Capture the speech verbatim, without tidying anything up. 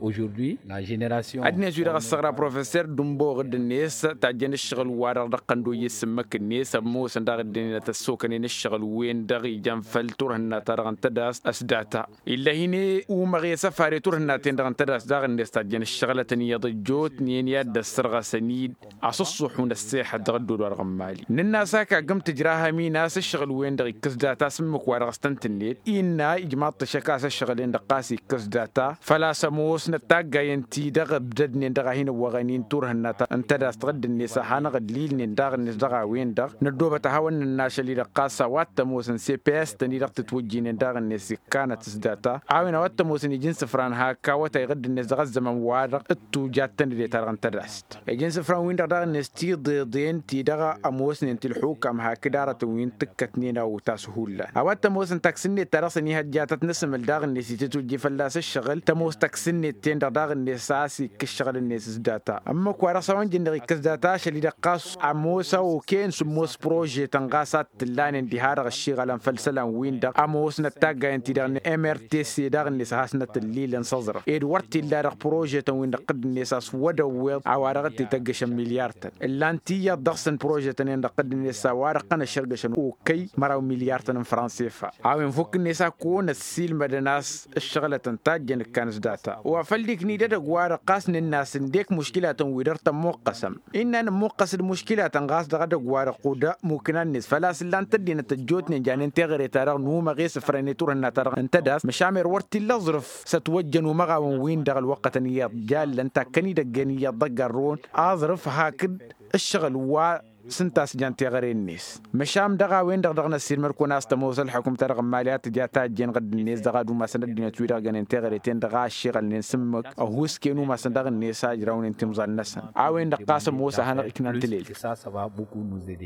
Ăddinăt-wi-dăɣ ăssăɣra professer dumboɣ dd-net tajjăn ǝššăɣǝl-wa-dăɣ dăɣ-tăn d-oyye s-ǝmmǝk-net ămoosăn daɣ ǝddǝnen ad-t-ăssokănen ǝššăɣǝl-wen-dăɣ ijăn făll-turhǝnna-ta-dăɣ n-tădast s-data. Ill'-e hin-e umăɣ i-săfare turhǝnna-ten-dăɣ n-tădast daɣ-net tajjăn ǝššăɣǝlătăn iyyăḍ ăjjootnen i-ad-dd-ăssărɣăsăn-dd asǝṣṣuḥun ăssexăt dăɣ-ăddol-wa-dăɣ n-imali. Nǝnn'-as hak aggǝm tǝjrahăm-in a-s ǝššăɣǝl-wen-dăɣ ikkǝs data s-ǝmmǝk-wa-dăɣ s-tăn-tǝnnet innă ijmaḍ-t ăššăk a-s ǝššăɣǝl-en-dăɣ ɣas ikkǝs data. Făl-a-s ămoosnăt taggayen-ti-dăɣ ǝbdădnen dăɣ-a hin-ăwwăɣăn-in turhǝnna ta n-tădast ɣǝdd-net a hanăɣ-ăllilnen daɣ-net dăɣ-a-wen-dăɣ năddoobăt ad-hawăn-nǝnna ašăl-i-dăɣ ɣas a-wa t-ămoosăn s-e-ps-tăn-i-dăɣ tǝtwǝjjinen daɣ-net s-ikkanăt s-data. A-wen a-wa t-ămoosăn iji n-isǝfran hak awătay ɣǝdd-net dăɣ-ăzzăman-wa-dăɣ t-tujat tăn-dd-e-ta-dăɣ n-tădast iji n-isǝfran-win-dăɣ daɣ-net tiḍeḍen ti-dăɣ ămoosnen ti ǝlxukam hakd arătăn wi n-tǝkkătnen a utas hullan a-wa t-ămoosăn taksǝnnet ta dăɣ-săn ihăjjatăt n-asǝmǝl daɣ-net itǝtwǝjji fălla-s ǝššăɣǝl tămoos taksǝnnet-ten-dăɣ daɣ-net a-s ikk ǝššăɣǝl-net s-data ǝmmǝk-wa-dăɣ s-a-wa n-jǝnnăɣ ikkăs data ašăl-i-dăɣ ɣas ămoos a okăyăn sǝmmos prožetăn ɣas a t-tǝllanen diha-dăɣ ǝššiɣălăn făll-isălan-win-dăɣ ămoosnăt taggayen-ti-dăɣ n-mrtc daɣ-net a hasnăt ǝllilăn s-aẓrǝf ed wăr t-illa dăɣ-prožetăn-win-dăɣ ɣǝdd-net a-s wăd-ăwweḍ a-wa-dăɣ t-ităggăšăn milyartăn ǝllan-t iyyăḍ dăɣ-săn prožetăn-en-dăɣ ɣǝdd-net a-wa-dăɣ tăn-ăššărgăšăn okăy măraw milyartăn n-fransefa. A-wen fukk-net a kăwăn-ăssiilmădăn a-s ǝššăɣǝlătăn tajjăn ǝkkan s-data wa făl dd-ikna-dd edăgg-wa-dăɣ ɣas nǝnn'-as ǝndek muškilatăn-wi-dăɣ tămmuqqăsăm. Innă nǝmmuqqăs d-muškilatăn ɣas dăɣ-edăgg-wa-dăɣ kud-mukkǝnăn-net făl-a-s ǝllan-t ăddinăt ăjjootnen janen teɣăre-ta-dăɣ n-umăɣ i-sǝfrăne turhǝnna-ta-dăɣ n-tădast măšan mer wăr t-illa aẓrǝf s-ătwăjjăn umăɣawăn-win-dăɣ ălwăqqătăn iyyăḍ jallăn takkăn idăgg-en iyyăḍ ḍăgg-ărrăwăn aẓrǝf hakd ǝššăɣǝl wa s-ǝnta a-s jan teɣăre-net. Măšan dăɣ-a-wen-dăɣ dăɣ-năssiilmăd-kăwăn a-s tămoos ălḥukǝm-ta-dăɣ n-imali a tǝja tajjen ɣǝdd-net dăɣ-ad-umasăn ăddinăt-wi-dăɣ gănen teɣăre-ten-dăɣ a ăššiɣălnen s-ǝmmǝk ăhuusken umasăn daɣ-net a ǝjrawnen timẓal-năsăn a-wen-dăɣ ɣas ămoos a hanăɣ-iknan tǝlelt.